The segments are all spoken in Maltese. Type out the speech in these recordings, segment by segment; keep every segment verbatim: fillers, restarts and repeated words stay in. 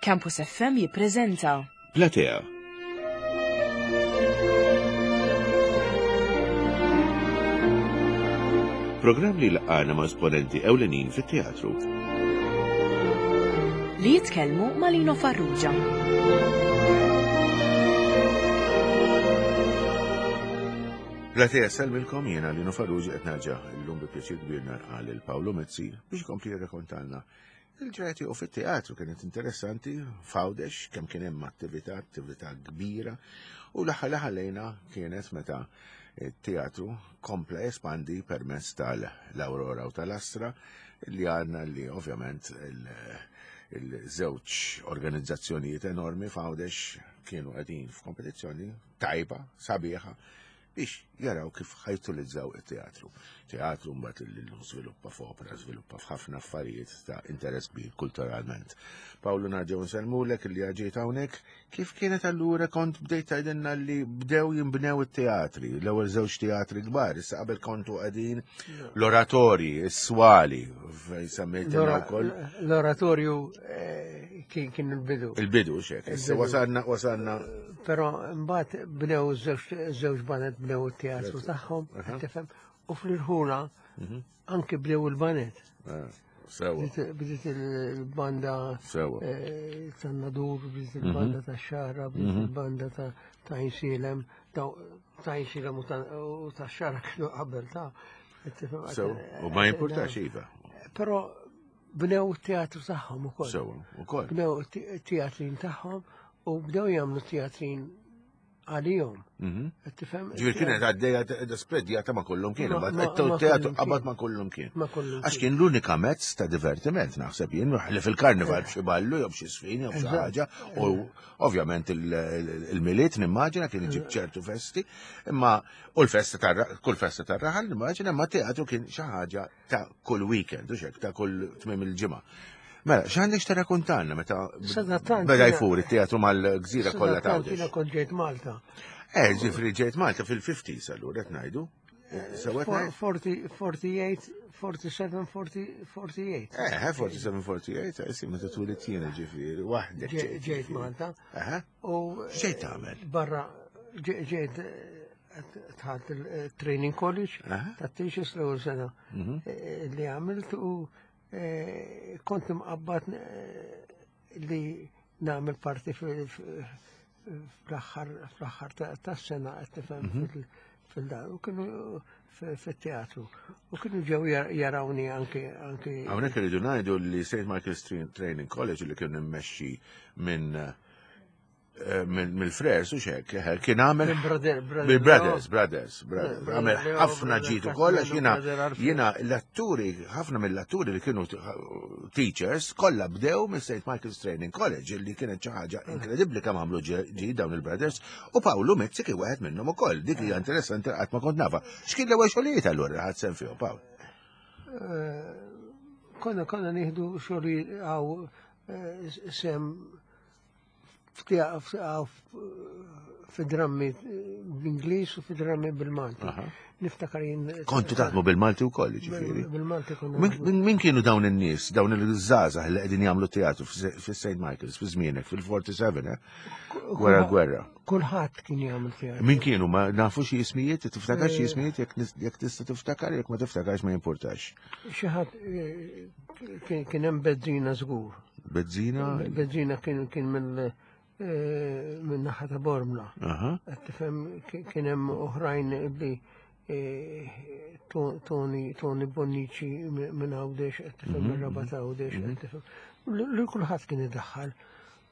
Campus F M jippreżenta Platea. Programm li laqgħana ma' esponenti ewlenin fit-teatru. Li jitkellmu ma' Lino Farrugia. Platea sellmilkom, jiena Lino Farrugia qed nerġa' llum bi pjaċir kbir narqa' lil Paolo Mizzi biex ikompli jirrakkontalna il-ġrajja tiegħu fit-teatru. Kienet interessanti f'Għawdex kemm kien hemm attività, attività kbira, u l-aħħar li ħallejna kienet meta it-teatru kompla jespandi permezz tal-Aurora u tal-Astra, li għandna li ovvjament il-żewġ organizzazzjonijiet enormi f'Għawdex kienu qegħdin f'kompetizzjoni tajba, sabiħa, biex jaraw kif ħajtulizzaw it-teatru. Teatru mbagħad li llum żviluppa f'opera, żviluppa f'ħafna affarijiet ta' interess kbir kulturalment. Paolo, nerġgħu nsellmulek li ġejt hawnhekk. Kif kienet allura kont bdejt tgħidilna li bdew jinbnew it-teatri, l-ewwel żewġ teatri kbar, issa qabel kontu qegħdin l-oratorji, is-swali, fejn semmejtilna wkoll. L-oratorju, eh, kien, kien il-bidu. Il-bidu, xek. Issa Il-bidu. wasalna, wasalna. Però mbagħad bnew żewġ, żewġ banet bnew it-teatru tagħhom, Aha. tifhem, u fl-irħula Mhm. anke bdew il-banet. Ah, sewa. Bdiet, bdiet il-banda, Sewa. eh, tan-Nadur, bdiet il-banda Mhm. tax-Xagħra, bdiet Mhm. il-banda ta', ta' Għajnsielem, ta', ta' Għajnsielem u ta', u tax-Xagħra kienu qabel ta' tifhem, Sewa, eh, u ma jimpurtax, eh, iva. Però bnew it-teatru tagħhom ukoll. Sewa, ukoll. Bnew it-teatrin tagħhom u bdew jagħmlu teatrin għalihom. Mhm. Qed tifhem? Ġifieri kienet għaddejja t-, spreadjata ma' kullum kien, Ma- imbagħad ma- qed ma' teatru kullum qabad kien. ma' kullum kien. Ma' kullum Għax kien. kien l-unika mezz ta' divertiment, naħseb jien, li fil-karnival b'xi ballu jew b'xi sfin jew b'xi Eżatt. ħaġa, u ovvjament il-, il-, il-Milied nimmaġina kien iġib ċertu festi, imma u l-festa tar-, kull festa tar-raħal nimmaġina, imma teatru kien xi ħaġa ta' kull weekend, u xek, ta' kull tmiem il-ġimgħa. Mela, x'għandek x'tirrakkontalna meta Sadattant beda jiena- jfur it-teatru mal-gżira kollha ta' Sadattant jiena Għawdex? kont ġejt Malta. Eh, ġifri ġejt Malta fil-fifties allura qed ngħidu. Eh, sewa qed ngħid? Forty, forty-eight, forty-seven, forty, forty-eight. Eh, eh, forty-seven, forty-eight, eh, sì, meta twilidt jiena ġifieri, waħdek Ġe-, ġejt, ġejt ġifieri. Malta. Aha. U X'ġejt tagħmel? Barra, ġe-, ġejt, eh, tħalt il-training college Aha. ta' teachers l-ewwel sena, Mhm. eh, li għamilt u, eh, kont imqabbad, eh, li nagħmel parti fil-, fil-, fl-aħħar, fl-aħħar ta-, tas-sena, qed tifhem, Mhm. fil-, fil-dar, u kienu f-, fit-teatru. U kienu ġew jar-, jarawni anke, anke Hawnhekk irridu ngħidu li Saint Michael's Tra-, Training College li kienu immexxi minn, eh, minn, mill-Frers u xek, eh, kien għamel Minn brother, brother Mill-Brothers, Leo. Brothers, Brothers. Brother Għamel Leo, ħafna brother ġid ukoll, għax Castello, jiena, brother Alfred. jiena l-atturi, ħafna mill-atturi li kienu t-, teachers, kollha bdew minn Saint Michael's Training College, li kienet xi ħaġa inkredibbli kemm għamlu ġe-, ġid dawn il-Brothers, u Paolo Mizzi kien wieħed minnhom ukoll. Dik hija interessanti qatt ma kont nafa. X'kien l-ewwel xogħlijiet allura li ħadd sehem fihom, Paolo? Eh, konna, konna nieħdu xogħlijiet għaw, eh, sem fi drammi bl-Ingliż u fi drammi bil-Malti. Aha. Niftakar jien Kontu taħdmu bil-Malti wkoll, jiġifieri? Bil-, bil-Malti konna Min, naħdmu. min, min kienu dawn in-nies, dawn il-żgħażagħ li qegħdin jagħmlu teatru fi, fi Saint Michael's, fi żmienek, fil-forty-seven, eh? Ku-, Wara l-gwerra. Kulħadd kien jagħmel teatru. Min kienu? Ma nafu xi ismijiet? Tiftakar xi Eh. ismijiet? Jekk nis-, jekk tista' tiftakar, jekk ma tiftakarx ma jimpurtax. Xi ħadd, eh, kien, kien hemm Bezzina żgur. Bezzina? Bezzina kien, kien mill, eh, minn naħa ta' Bormla. Aha. Qed tifhem, ki-, kien hemm oħrajn li, eh, To-, Tony, Tony Bonnici mi-, minn Għawdex, qed tifhem, Mhm, minn Rabat Għawdex, mhm. qed tifhem. Li, li kulħadd kien idaħħal.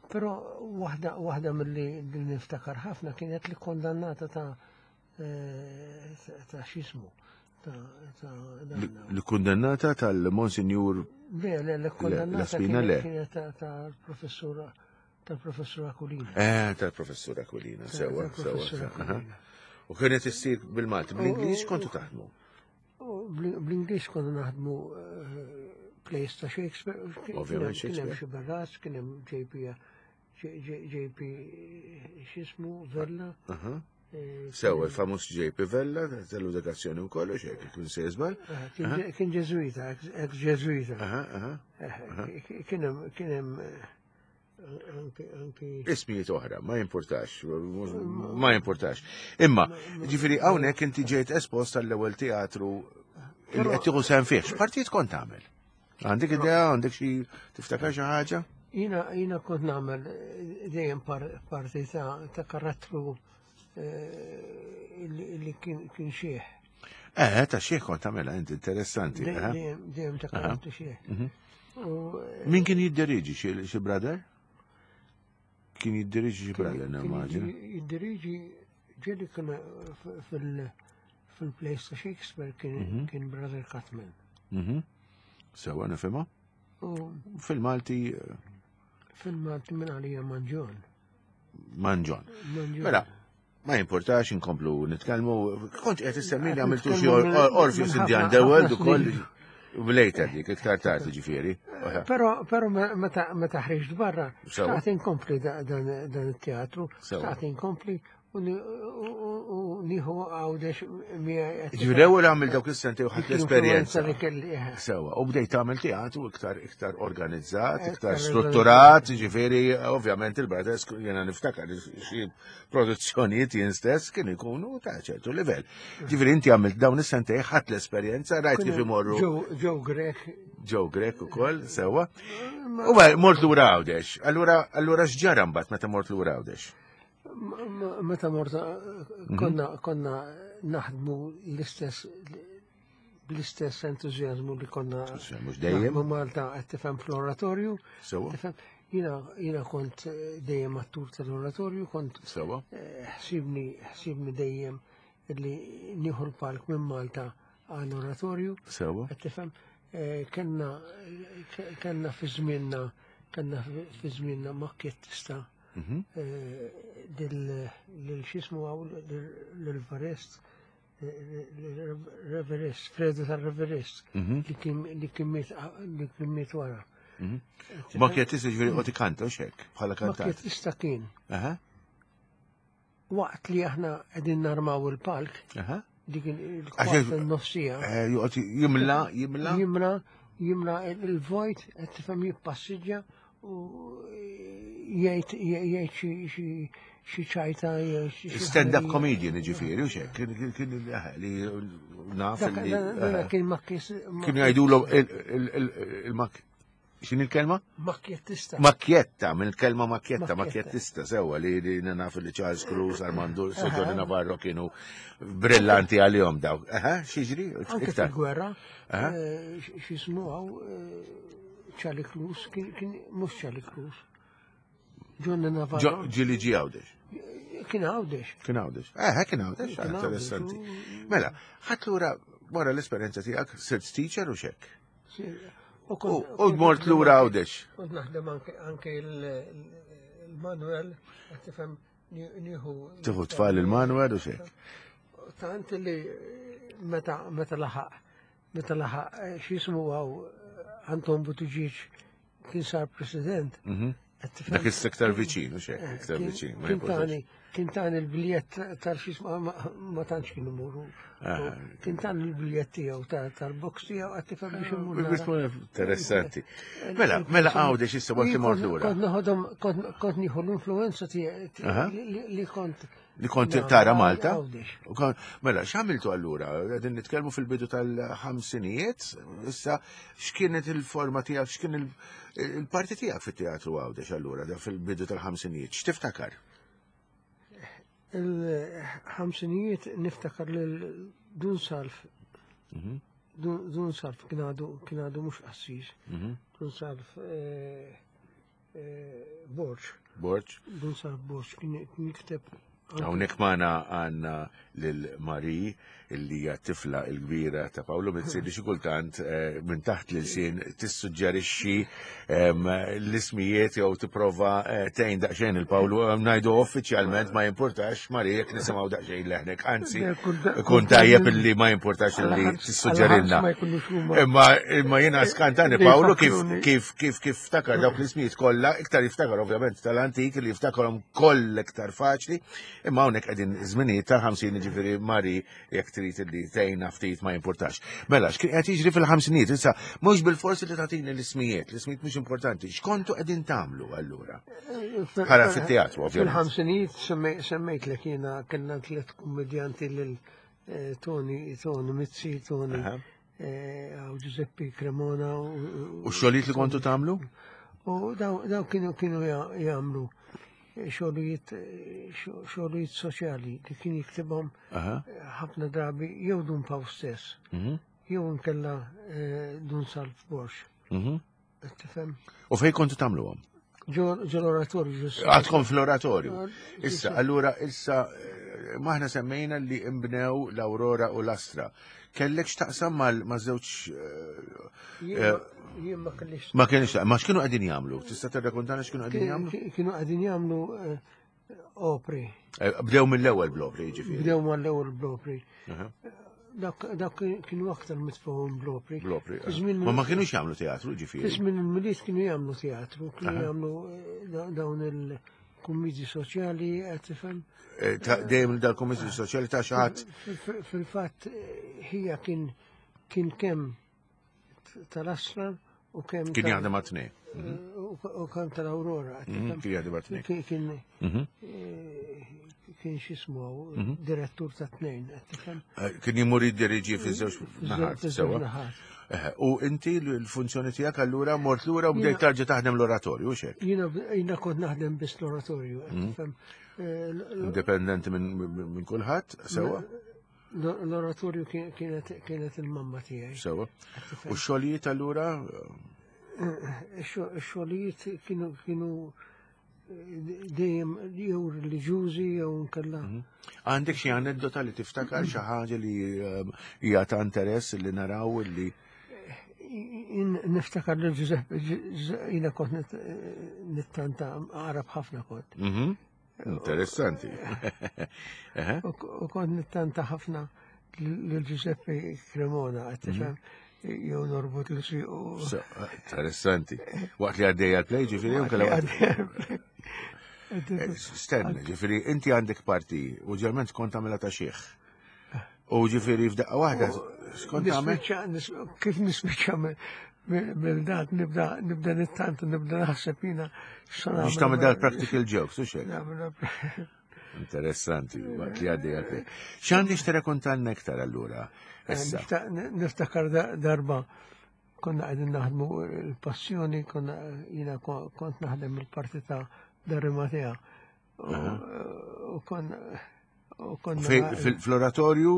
Però waħda, waħda milli li niftakar ħafna kienet li kondannata ta', eh, ta' x'ismu, ta', ta' dan. Li, li kundannata tal-Monsinjur Le, le, le, Le, kundannata la spina kienet le. kienet ta', tal-professura, tal-professur Aquilina. Eh, tal-professur Aquilina, Ta' sewa, tal-professur sewa, Aquilina. aha. U kienet issir bil-Malti, bl-Ingliż kontu taħdmu? U bl-, bl-Ingliż konna naħdmu, eh, plays ta' Shakespeare. Kien hemm Ovvjament kien hemm Shakespeare. xi Barras, kien hemm J P, J, J, J P x'ismu, Vella. Aha. Eh, Sewa, il-famuż J P Vella, tal-edukazzjoni u kollox, hekk kien se jiżbal. Eh, kien ġe-, kien Ġeżwita, ex-, ex-Ġeżwita. Aha, aha. Eh, kien hemm, kien hemm, Anki anki Ismijiet oħra, ma jimpurtax, ma jimpurtax. Imma, ġifieri hawnhekk inti ġejt espost għall-ewwel teatru li qed tieħu sehem fih. X'partijiet kont tagħmel? Għandek idea, għandek xi tiftakar xi ħaġa? Jiena jiena kont nagħmel eh, dejjem par, parti ta' ta' karattru eh, li li kien kien xieħ. Eh, ta' xieħ kont tagħmilha inti interessanti. Dej- eh? Dejjem dejjem ta' karattru xieħ. Mhm. U eh, Min kien jiddiriġi xi xi brother? Kien jiddiriġi xi brother, kien nimmaġina. jiddiriġi ġieli kien f- fil fil-plays ta' Shakespeare kien kien Brother Cutman. Mhm. Sewa nifhimha. U Fil-Malti eh, fil-Malti minn għalija Manġon. Manġon. Manġon. Mela, ma jimportax inkomplu nitkellmu. Kont qed issemmi li Qed għamiltu xi nitkellmu minn- Orpheus minn in the ħafna- Underworld ħafna ukoll. snin. Later dik, iktar tard ġifieri. Pero, pero me- meta meta ħriġt barra, Sewa. xtaqt inkompli da- dan dan it-teatru, Sewa. xtaqt inkompli u ni- u- u- u nieħu Għawdex miegħi. Ġifieri ewwel għamil dawk is-sentej u ħadt l-esperjenza. Li kelli. eh. Sewa, u bdejt tagħmel teatru iktar iktar organizzat, iktar Iktar strutturat, ġifieri ovvjament il-Brothers jiena niftakar xi produzzjonijiet jien stess kienu jkunu ta' ċertu livell. Ġifieri inti għamilt dawn is-sentej ħadt l-esperjenza, rajt kif imorru Joe Joe Grech. Joe Grech ukoll, sewa. U beh, mort lura Għawdex. Allura allura x'ġara mbagħad meta mort lura Għawdex? M- m- Meta morta konna konna naħdmu l-istess bl-istess entużjażmu li konna Mhux dejjem. naħdmu Malta qed tifhem fl-oratorju. Sewa. Tifhem, jiena jiena kont eh, dejjem attur tal-oratorju, kont Sewa. eh, ħsibni ħsibni dejjem li nieħu l-palk minn Malta għall-oratorju. Sewa. Qed tifhem, eh, kellna ke- kellna fi żmienna kellna fi- fi żmienna makkjettista Mhm. eh, lil lil x'ismu hawn lil Varest Reverist, Fredo tal-Reverist, Mhm. li kien li kien miet li kien miet wara. Mhm. Makkjettista ġifieri qed ikanta u xek, bħala kantant. Makkjettista kien Aha, waqt li aħna qegħdin narmaw il-palk, aha. dik Għax- il-kwart il-nofsija, Eh, Joqgħod jimla, jimla. jimla jimla il-vojt qed tifhem jippassiġġa u jgħid jgħid xi xi xi ċajta jew xi xi Stand-up ħaġa. comedian ġifieri u xek, kien kien kien eh, li naf Dak li dan- dan eh, kien makkis kienu jgħidulu il-mak x'in il-kelma? makkjettista. Makkjetta, minn il-kelma makkjetta, Makkjetta. makkjettista, sewa li li naf li Charles Cruz, Armando, Sotoni Navarro kienu brillanti għalihom daw. Aha, x'jiġri? Anke Iktar. fil-gwerra, Aha. eh, x'jismu hawn eh, Charlie Cruz, kien kien mhux Charlie Cruz. Johnny Navarro. Ġo- Ġili ġi Għawdex. Kien Għawdex. Kien Għawdex. Eh, kien Għawdex, Kien Għawdex, interessanti. u- Mela, ħadd lura wara l-esperjenza tiegħek sirt teacher u xek. Sì, U U kont- u mort lura Għawdex. Kont naħdem anke anke il- il-Manuel, qed tifhem ni- nieħu. Tieħu tfal il-Manuel u xek. Tant li meta meta laħaq meta laħaq eh, x'jismu hawn Anton Buttigieg kien sar president. Mhm. qed tifhem? Dak is-sektar viċin u xek, Eh, iktar kien- viċin. ma Kien jimpurtax. tani, kien tani l-biljett tal-xisma ma ma tantx kienu muru. Ah. Kien tani l-biljett tiegħu ta- tal-box tiegħu qed tifhem biex imur Biex nara. tkun Interessanti. Mela, mela Għawdex issa waqt li mort lura. Kont noħodhom, kont kont nieħu l-influenza tiegħi Aha. li- li li kont Li kont nagħmel tara Malta? Għawdex. U kon- Mela, x'għamiltu allura? Qegħdin nitkellmu fil-bidu tal-ħamsinijiet, issa x'kienet il-forma tiegħek, x'kien il- il-parti tiegħek fit-teatru Għawdex allura da fil-bidu tal-ħamsinijiet, x'tiftakar? Il-ħamsinijiet niftakar lil Dun Salf. Mhm. Dun Dun Salf kien għadu kien għadu mhux qassis. Mhm. Dun Salf eh, eh, Borġ. Borġ. Dun Salf Borġ kien kien jikteb anke- Hawnhekk magħna għandna lil Marie illi hija tifla l-kbira ta' Paolo Mizzi li xi kultant eh, minn taħt l-ilsien tissuġġerixxi em, l-ismijiet jew tipprova eh, tgħin daqsxejn il-Paolo ngħidu uffiċjalment ma jimpurtax Marie jekk nisimgħu daqsxejn leħnek, anzi Le, kull da- ikun kull tajjeb da- illi ma jimpurtax illi Għal-ħars- tissuġġerilna. għal-ħars ma jkunux huma. Imma imma jiena skantani Li Paolo kif jfakkruni. kif kif kif ftakar dawk l-ismijiet kollha, iktar jiftakar ovvjament tal-antik li jiftakarhom koll iktar faċli. Imma hawnhekk qegħdin żminijiet tal-ħamsin ġifieri Mari jekk trid li tgħinna ftit ma jimpurtax. Mela, x'kien qed jiġri fil-ħamsinijiet, issa mhux bil-forsi li tagħtini l-ismijiet, l-ismijiet mhux importanti. X'kontu qegħdin tagħmlu allura? Bħala fit-teatru, ovvjament. Fil-ħamsinijiet semmejtlek jiena kellna tliet kummedjanti lil Tony, Tony Mizzi, Tony Giuseppe Cremona. U x-xogħlijiet li kontu tagħmlu? U daw kienu kienu jagħmlu xogħlijiet xogħlijiet soċjali li kien jiktibhom ħafna drabi jew Dun Paw stess, jew inkella Dun Salv Borg. Tifhem? U fejn kontu tagħmluhom? Ġo l-oratorju. Għadkom fl-oratorju. Issa, allura, issa, maħna semmejna li imbnew l-Aurora u l-Astra. Kellek x'taqsam ma' żewġ. Jien ma kellix. Ma kellix, ma x'kienu qegħdin jagħmlu? Tista' tirrakontana x'kienu qegħdin jagħmlu? Kienu qegħdin jagħmlu opri. Bdew mill-ewwel bl-opri, jiġifieri. Bdew mill-ewwel bl-opri. Dak kienu aktar mitfuhom bl-opri. Bl-opri. Ma ma kienux jagħmlu teatru, ġifieri. Żmien il-Milied kienu jagħmlu teatru, kienu jagħmlu dawn il-kummedji soċjali, qed tifhem. Dejjem dal-kummedji soċjali ta' xi ħadd. Fil-fatt hija kien kien kemm tal-Astra u kemm. Kien jaħdem għat-tnejn. U kemm tal-Aurora. Kien jaħdem għat-tnejn. Kien kien x'ismu direttur ta' tnejn. Kien jimur jiddiriġi fiż-żewġ naħat, sewa. U inti l-funzjoni tiegħek allura mort lura u bdejt tarġa' taħdem l-oratorju, x'hekk? Jiena kont naħdem biss l-oratorju. Indipendenti minn kulħadd, sewa? L-oratorju kienet il-mamma tiegħi. Sewa. U x-xogħlijiet allura? Ix-xogħlijiet kienu dejjem jew reliġjużi jew nkella. Għandek xi aneddota li tiftakar xi ħaġa li hija ta' interess li naraw li niftakar lil Giuseppe, jiena kont nittanta Arab ħafna kont. Interessanti. U kont nittanta ħafna lil Giuseppe Cremona, qed tifhem, jew norbot l u. Interessanti. Waqt li għaddejja l-play, ġifieri, u kellha. Stenna, ġifieri, inti għandek parti u ġerment kont tagħmilha ta' xieħ. U ġifieri f'daqqa waħda skont tagħmel. Kif nispiċċa mill-dat nibda nibda nittant nibda naħseb jiena. Biex tagħmel dal-practical jokes, u xejn. Interessanti, waqt li għaddejja l-play. X'għandix tirrakontalna iktar allura? Niftakar darba konna qegħdin naħdmu l-Passjoni, konna jiena kont naħdem il-parti ta' D'Arimatea. U kon Fl-oratorju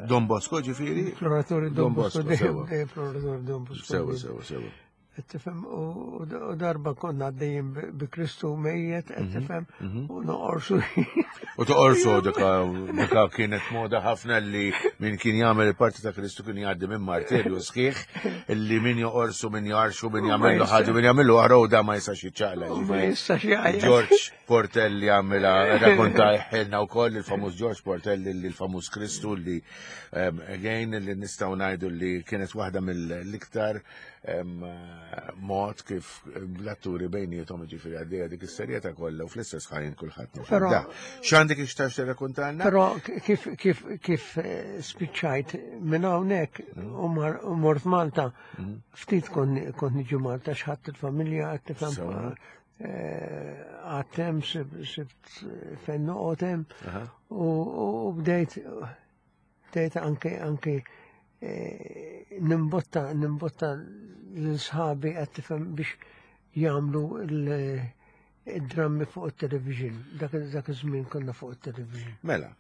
Don Bosco, ġifieri? Fl-oratorju Don Bosco, fl-oratorju Don Bosco. Sewa, sewa, sewa. Tifhem, u darba konna għaddejjin bi Kristu mejjet, tifhem, u noqorsu. U toqorsu dika kienet moda ħafna li min kien jagħmel il-parti ta' Kristu kien jgħaddi minn martirju sħiħ, li min joqorsu, min jarxu, min jagħmillu ħaġa, min jagħmillu oħra u da ma jistax jiċċaqla. Ma jistax jgħajja. George Portelli għamilha rakkonta ħelna wkoll il-famuż George Portelli li l-famuż Kristu li again li nistgħu ngħidu li kienet waħda mill-iktar mod kif l-atturi bejnietom ġifieri għaddejja dik is-serjetà kollha u fl-istess ħajn kulħadd. X'għandek ixtax tirrakkontalna? Però kif kif kif spiċċajt minn hawnhekk u mort Malta, ftit kont niġi Malta x'ħadd il-familja qed tifhem għatem sibt fejn noqgħod hemm u bdejt bdejt anke anke nimbotta nimbotta l-sħabi qed tifhem biex jagħmlu id-drammi fuq it-television. Dak iż-żmien konna fuq it-television. Mela,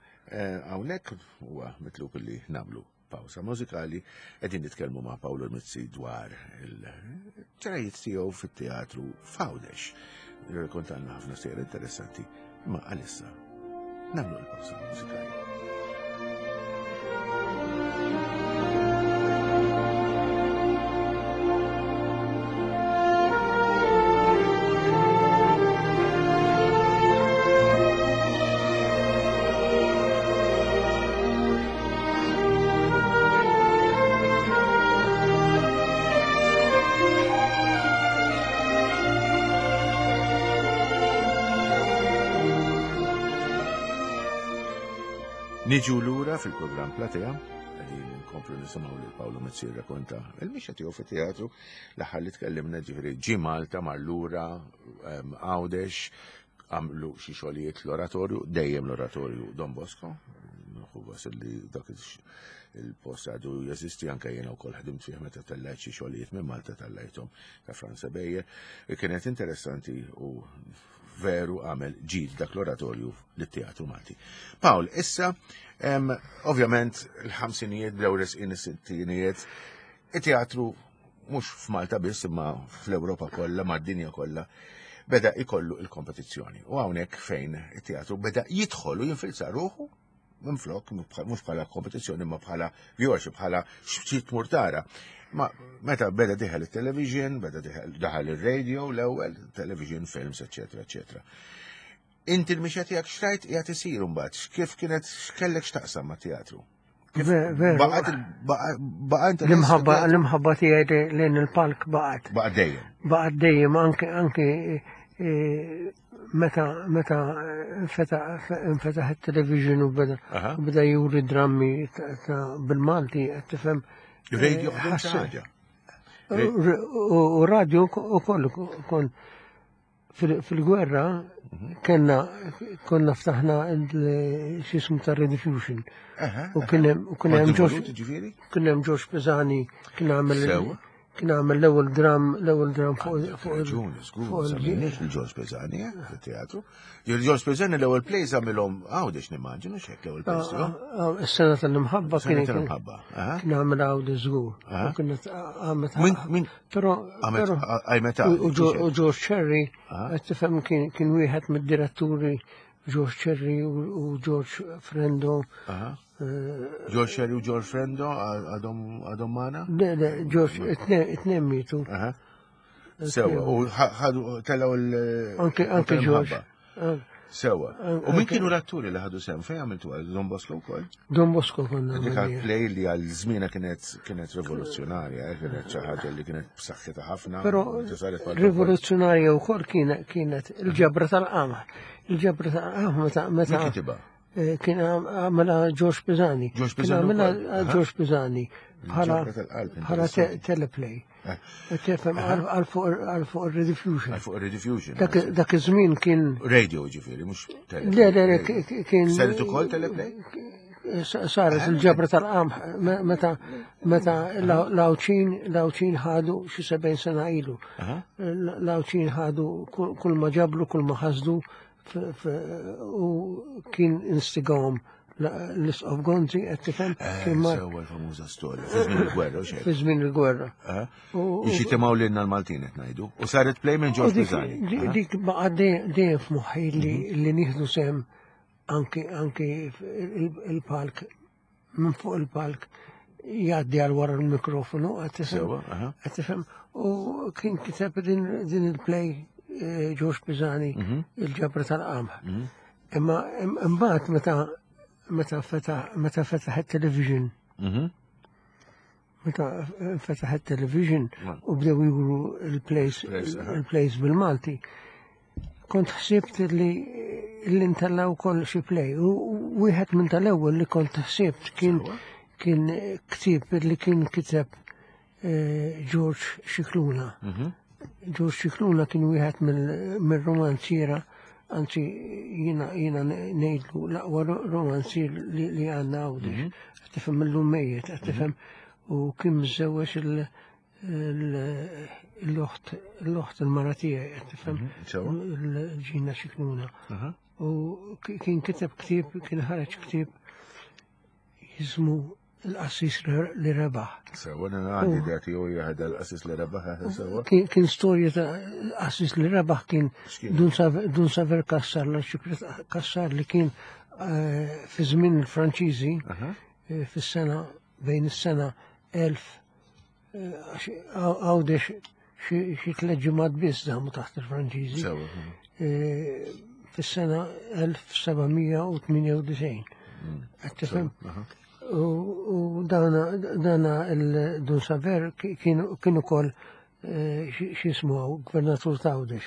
hawnhekk huwa mitlub li nagħmlu pawsa mużikali, qegħdin nitkellmu ma' Paolo Mizzi dwar il-ġrajiet tiegħu fit-teatru f'Għawdex. Jirrakkontalna ħafna sejjer interessanti, imma għalissa nagħmlu l-pawsa mużikali. Niġu lura fil-programm Platea, qegħdin nkomplu nisimgħu lil Paolo Mizzi jirrakkonta il-mixja tiegħu fit-teatru. L-aħħar li tkellimna, ġifieri ġie Malta, mar lura em, Għawdex, għamlu xi xogħlijiet l-oratorju, dejjem l-oratorju Don Bosco. Nieħu gost li dak il- il-post għadu jeżisti, anke jiena wkoll ħdimt fih meta tellajt xi xogħlijiet minn Malta, tellajthom ta' Franza Bejjer. Kienet interessanti u veru għamel ġid dak l-oratorju lit-teatru Malti. Paul, issa, em, ovvjament, il-ħamsinijiet bdew resqin is-sittinijiet, it-teatru mhux f'Malta biss imma fl-Ewropa kollha, mad-dinja kollha, beda ikollu il-kompetizzjoni. U hawnhekk fejn it-teatru beda jidħol u jinfilza ruħu minn flok, mhux bħala kompetizzjoni imma bħala viewership, bħala xi tmur tara. Ma meta beda dieħel il-television, beda dieħel daħal il-radio l-ewwel, television, films, eccetera, eccetera. Inti l-mixja tiegħek xrajt qiegħed isir mbagħad, kif kienet, x'kellek x'taqsam ma' teatru? Kif Ve- veru. baqgħet il- baqa' baqa' interess L-imħabba fit-teatru? L-imħabba tiegħi lejn il-palk baqgħet. Baqa' dejjem. Baqgħet dejjem, anke anke eh, meta meta infetaħ infetaħ it-television u beda Aha. u beda juri drammi ta' ta' bil-Malti, qed tifhem. Radio eh, ħdimt xi ħasse- ħaġa. U u radio u koll kon fil- fil-gwerra kena konna ftaħna il- x'ismu ta' Rediffusion. Aha. U kien hemm u kien hemm Kont George involut, ġifieri? kien hemm George Pisani kien għamel Sewa. kien għamel l-ewwel dram l-ewwel dram fuq fuq Raġuni, żgur, fuq il- semmejniex il-George Pisani, eh, fit-teatru. Il-George Pisani l-ewwel plays għamilhom Għawdex, nimmaġinu xek l-ewwel plays tiegħu. Ah, ah, Is-sena tal-imħabba Sena kien tal-imħabba, aha. kien għamel Għawdex żgur. Aha. U kienet għamet Min min Però għamet però għajmet u u Jo- u George Cherry, Aha. qed tifhem, kien kien wieħed mid-diretturi, George Cherry u u George Frendo. Aha. eh, George Sherry u George Frendo għadhom għadhom magħna? Le, le, George, it-tnejn mietu. Aha. Sewa, u ħa- ħadu tellgħu il- Anke anke George. tal-imħabba. Ah, Sewa. An- U min anke- kienu l-atturi li ħadu sehem? Fejn għamiltu għal Don Bosco wkoll? Don Bosco konna Dik għamilniha. play li għal żmiena kienet kienet rivoluzzjonarja, eh, kienet xi ħaġa li kienet b'saħħitha ħafna. Però u saret Malta wkoll. rivoluzzjonarja wkoll kienet kienet il-ġabra tal-qamar. Il-ġabra tal-qamar meta Min meta kitibha? eh, kien għamela George Pisani. George Kien Pisani għamela wkoll, aha. George Pisani bħala Il-ġabra tal-qalb, bħala te- interessanti. teleplay. Eh. Tifhem, għal għal fuq għal fuq il-Rediffusion. Għal fuq il-Rediffusion. Dak dak iż-żmien kien Radio ġifieri, mhux teleplay. Le, le, le, k- k- kien Saret ukoll teleplay? Sa- saret il-ġabra tal-qamħ me- meta meta l-Għawdxin l-Għawdxin ħadu xi sebgħin sena ilu. Aha. L-Għawdxin ħadu kull kull ma ġablu, kull ma ħasdu f- f- u kien instigawhom l-Isqof Gonzi, qed tifhem, Eh, kien mar Sewa, l-famuża storja. Fi żmien il-gwerra u xejn. fi żmien il-gwerra. Eh? U- Biex jitimgħu lilna l-Maltin qed ngħidu. U saret play minn U George dik Pisani. dik- Aha. dik baqa' dejjem dejjem f'moħħi li li nieħdu sehem anki anki il- il-palk, minn fuq il-palk jgħaddi għal wara l-mikrofonu, qed tifhem. Sewa, aha. Qed tifhem, u kien kiteb din din il-play eh, George Pisani, Mhm. il-ġabra tal-qamħ. Imma im- imbagħad meta meta fetaħ meta fetaħ it-television, Mhm. meta fetaħ it-television Ma. u bdew juru il-plays Plays, aha. il-plays bil-Malti. Kont ħsibt li li ntellgħu wkoll xi play u u wieħed minn tal-ewwel li kont ħsibt kien Sewa. kien ktieb li kien kiteb eh, George Scicluna. Mhm. George Scicluna kien wieħed mill- mill-romanziera, anzi jiena jiena ngħidlu l-aqwa ro- romanzier li, li għandna Għawdex. Qed tifhem, illum mejjet, qed tifhem, u kien miżżewweġ il- il- l-oħt l-oħt il-mara tiegħi, qed tifhem, Sewa. il-Ġina Scicluna. Aha. U ki- kien kiteb ktieb, kien ħareġ ktieb jismu Il-Qassis li Rebaħ. Sewa, għandi idea tiegħu hija l-qassis li rebaħ, sewa. Kien kien storja ta' qassis li rebaħ, kien X'kien? Dun Saver Dun Saver Kassar, l-Arċipriet Kassar, li kien eh, fi żmien il-Franċiżi Aha. eh, fis-sena bejn is-sena elf eh, għax Għawdex xi xi tliet ġimgħat biss damu taħt il-Franċiżi. Sewa. Eh, Fis-sena elf seba' mija u tmienja u disgħin. Qed tifhem? Aha. U u dana dana il-Dun Saver kien kien ukoll eh, x'jismu gvernatur ta' Għawdex.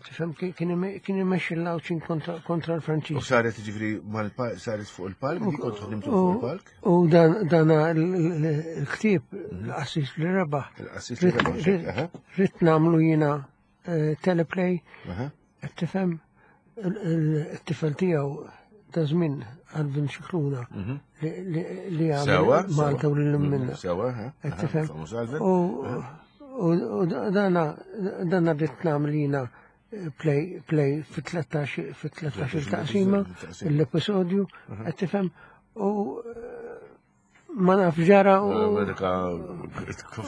Tifhem kien imexxi l-Għawdxin kontra l-Franċiż. U saret ġifieri saret fuq il-palk, dik kont ħdimtu fuq il-palk? U dan il-ktieb l-qassis li rebaħ. Il-qassis li rebaħ. Ridt nagħmlu jiena teleplay, tifhem it-tifel tiegħu ta' żmien Alvin Scicluna li għamel Malta u lil minna. Sewa, Tifhem. U dana dana rrid nagħmel jiena play play fi tlettax taqsima l-episodju, qed tifhem, u ma naf ġara u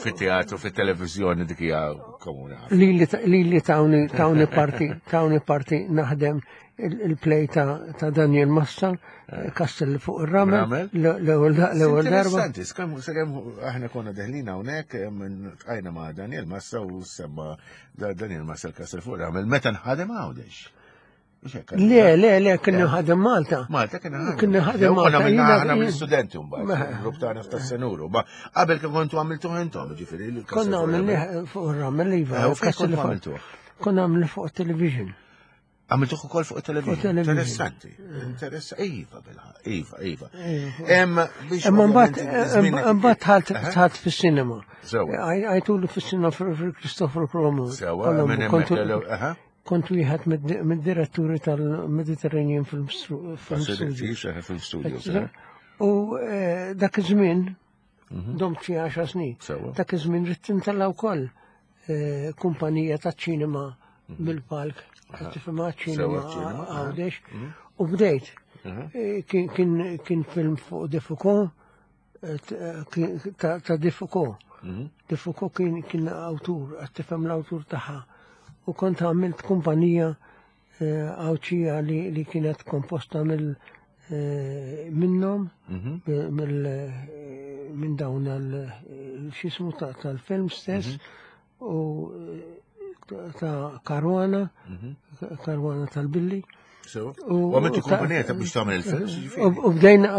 fit-teatru, fit-televiżjoni dik hija komuni. Li li tawni tawni parti tawni parti naħdem il-play ta' Daniel Massa, Kastell fuq ir-Ramel, l-ewwel darba. Interessanti, sakemm aħna konna deħlin hawnhekk tqajna ma' Daniel Massa u semma Daniel Massa l-Kastell fuq ir-Ramel meta nħadem Għawdex. Le, le, le, kien ħadem Malta. Malta kien ħadem. Kien ħadem Malta. Konna minna aħna mill-studenti mbagħad, grupp tagħna f'tas-Senuru. Ma qabel kien kontu għamiltuh intom, ġifieri. Konna għamilnieh fuq ir-Ramel, iva. Kont għamiltuh? Konna għamilnieh fuq television. Għamiltuh ukoll fuq television. Interessanti. Interessanti. Iva, bilħa. Iva, iva. Imma mbagħad mbagħad dħalt fis-sinema. Għajtulu fis-sinema fil-Christopher Colombo. Sewa, minn hemmhekk. Kont wieħed mid-diretturi tal-Mediterranean Film Studios. U dak iż-żmien, domt xi għaxar snin, dak iż-żmien ridt intella' wkoll kumpanija taċ-ċinema mill-palk, tifhimha ċinema Għawdex, u bdejt. Kien film fuq De Foucault, ta' De Foucault. De Foucault kien awtur, tifhem l-awtur tagħha. U kont għamilt kumpanija Għawdxija li kienet komposta minnhom, minn dawn x'ismu tal-film stess, u ta' Caruana, Caruana tal-Billi. U għamiltu kumpanija ta' biex tagħmel il-films? U bdejna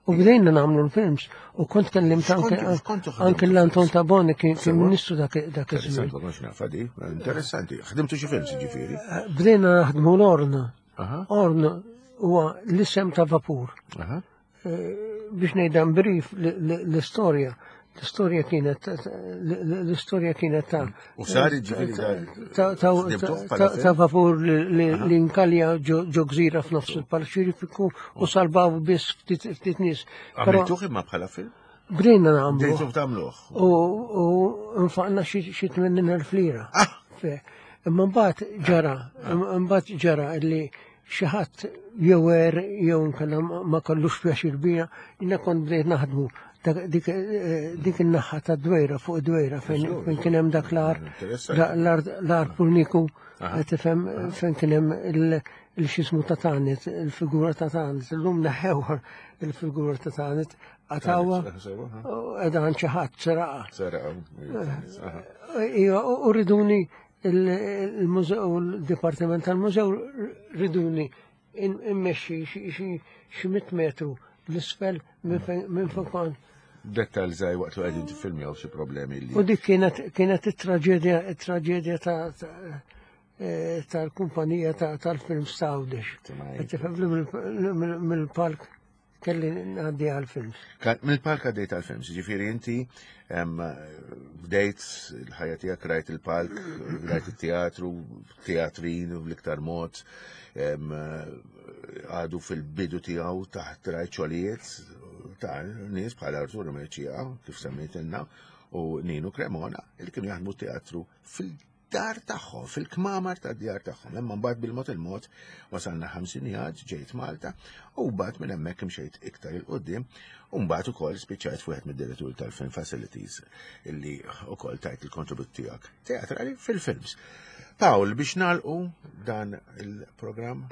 u bdejna nagħmlu l-films u kont kellimt anke l-Anton Tabone kien ministru dak iż-żmien. Interessanti. Ħdimtu xi films ġifieri? Bdejna naħdmu l-Orn. Orn huwa l-isem ta' vapur. Biex ngħidha brief l-istorja. L-istorja kienet l-istorja kienet ta' u sar ġifieri ta' vapur li nkalja ġo gżira f'nofs il-Paċifiku u salvaw biss ftit nies. Għamiltuh imma bħala film? Bdejna nagħmlu. Bdejtu tagħmluh. U nfaqna xi tmenin elf lira. Imma mbagħad ġara, mbagħad ġara li xi ħadd jew er jew inkella ma kellux pjaċir bija, jiena kont bdejt naħdmu dik in-naħa ta' dwejra fuq dwejra fejn kien hemm dak l-ar l-ar Purniku, tifhem fejn kien hemm il-xismu ta' Tanit, il-figura ta' Tanit, illum neħħewha il-figura ta' Tanit, qatawha qiegħda għand xi ħadd seraqa. Seraqa. Iva, u riduni il-mużew, il-dipartiment tal-mużew riduni immexxi xi mitt metru l-isfel minn fejn kont. Dettal żgħir waqt li qegħdin tiffilmjaw xi problemi li. U dik kienet kienet it-traġedja it-traġedja tal-kumpanija tal-films ta' Għawdex. Qed tifhem mill-palk kelli ngħaddi għall-films. Mill-palk għaddejt għall-films, ġifieri inti bdejt il-ħajja tiegħek rajt il-palk, rajt it-teatru, teatrin bl-iktar mod, għadu fil-bidu tiegħu taħt rajt xogħlijiet ta' nies bħal Arturo Mercia, kif semmejtilna, u Nino Cremona, li kienu jaħdmu teatru fil-dar tagħhom, fil-kmamar tad-djar tagħhom. Imma mbagħad bil-mod il-mod wasalna ħamsinijat, ġejt Malta, u mbagħad minn hemmhekk imxejt iktar il qudiem u mbagħad ukoll spiċċajt wieħed mid-direttur tal-Film Facilities illi ukoll tajt il-kontribut tiegħek teatrali fil-films. Pawl, biex nagħlqu dan il-programm,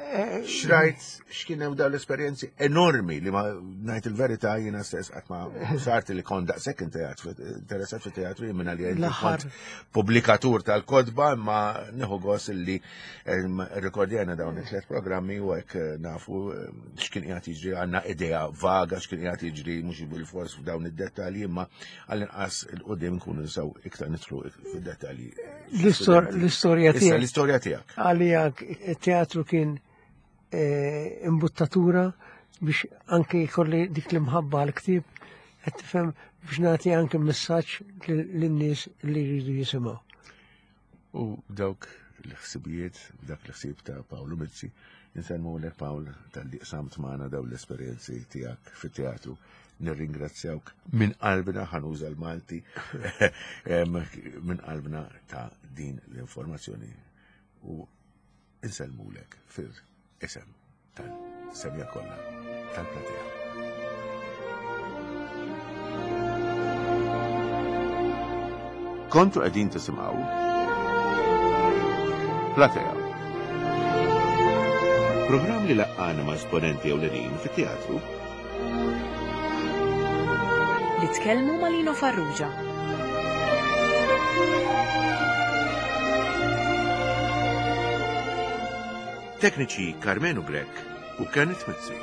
xrajt x'kien hemm dawn l-esperjenzi enormi li ma ngħid il-verità jiena stess qatt ma sart li kont daqshekk interessat fit-teatru jien minna li L-aħħar. kont pubblikatur tal-kotba, imma nieħu gost li rrekordjajna dawn it-tliet programmi u hekk eh, nafu eh, x'kien qiegħed jiġri, għandna idea vaga x'kien qiegħed jiġri, mhux bil-fors f'dawn id-dettalji, imma għall-inqas il-qudiem nkunu nistgħu iktar nidħlu fid-dettalji. L-istor- L-istorja Issa tiegħek l-istorja tiegħek. Għalija teatru kien eh, imbuttatura biex anke jkolli dik l-imħabba għal-ktib, qed tifhem, biex nagħti anke messaġġ lin-nies li jridu jisimgħu. U dawk l-ħsibijiet, dak l-ħsieb ta' Paolo Mizzi, insellmu lek Pawl talli qsamt magħna dawn l-esperjenzi tiegħek fit-teatru. Nirringrazzjawk minn qalbna, ħa nuża l-Malti, em, minn qalbna ta' din l-informazzjoni u insellmulek fil-isem tal-semja kollha tal-platea. Kontu qegħdin tisimgħu Platea. Programm li laqqana ma' esponenti ewlenin fit-teatru. Li tkellmu ma' Lino Farrugia. Tekniċi Carmenu Grech u Kenneth Mizzi.